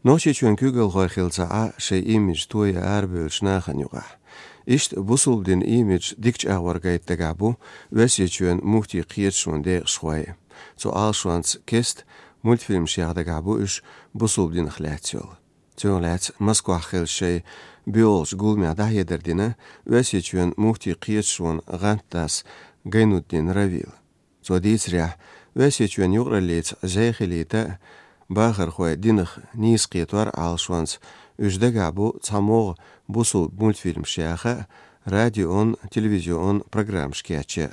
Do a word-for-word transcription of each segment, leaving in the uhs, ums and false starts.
Noche çön kügel hoyxilsa şey image toya erbölç naxanyuğa. İşt busuldin image dikç ağvargayt dagabu, vesi çön muhti qiyetşun de şuay. So alşuans kest multfilm şiağ dagabu iş busuldin xlatsiyol. Çön lats Moskva xil şey biolj gulmya dahyederdine, vesi çön muhti qiyetşun gantas Gaynuddin Ravil. So ditsrya, vesi çön yuqralits zayxilita Bahar xoy dinix nis qiyetwar alşuans üjdagabu tsamog busul multfilm şiaxa radioon televizyon program şkiyaçı.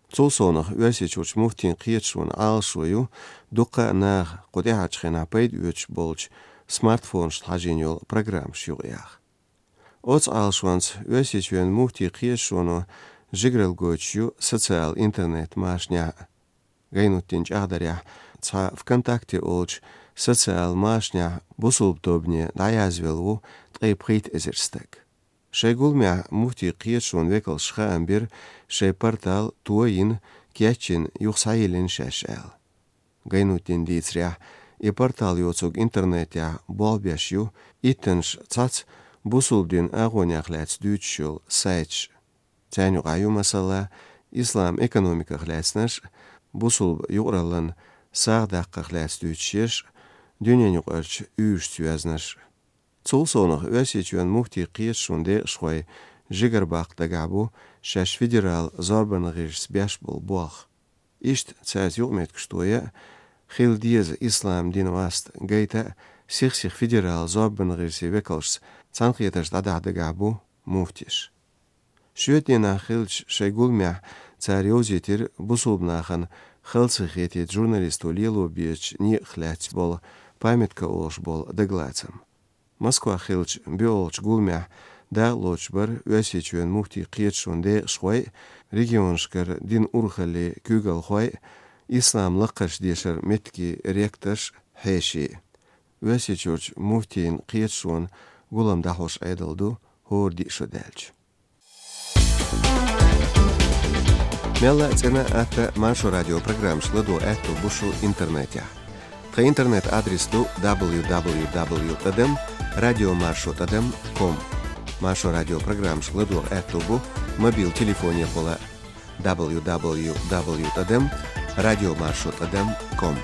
Tsulsonux vesi çuç muhtin qiyetşun alşuyu duqa nağ qudihaçxina payd üç bolç smartphone ştajinjol program şuğuyaq. Ots alşuans vesi çön muhti qiyetşunu jigrel goçyu soциal internet maşnya. Gaynuddin çağdarya ca vkontakte olç социал машня бусулбдобне даязвелу тайпхит эзерстек. Шейгулмя мухти қиетшун векал шхаамбир шей портал туаин кячин юхсаилин шашал. Гайнуттин дицря и портал йоцуг интернетя болбяшю иттенш цац бусулбдин агоняхляц дючшул сайч. Тяню гаю масала ислам экономика хляцнаш бусулб югралан сағдаққа хляц дючшеш Dünyanın yuqarç üç tüyaznar. Tsulsonux vesi çön muhti qiyetşun de şuay jigerbaq dagabu şaş federal zorban g'irs beş bol buaq. İşt çaz yuqmet kştoya xildiyaz islam din vast gayta sixsix federal zorban g'irsi vekalş tsanqiyetaş dada dagabu muhtiş. Şüetdena xilç shaygulmya tsaryozitir busulbnaxan xiltsixetit jurnalistu lielu biech ni xlats bol памятка олш бол деглацам. Москва хилч биолч гулмя да лочбар весичен мухти қиетшун де шуай регионшкар дин урхали күгал хуай ислам лақаш дешер метки ректаш хеши. Весичурч мухтин қиетшун гулам дахош айдалду хор дишоделч. Мела цена ата машу радиопрограмм шладу эту бушу интернете. Та интернет адрес ду дабл ю дабл ю дабл ю точка тадем радиомаршрут точка ком. Машу радиопрограмм шладу эту бу мобил телефония пола дабл ю дабл ю дабл ю точка тадем радиомаршрут точка ком.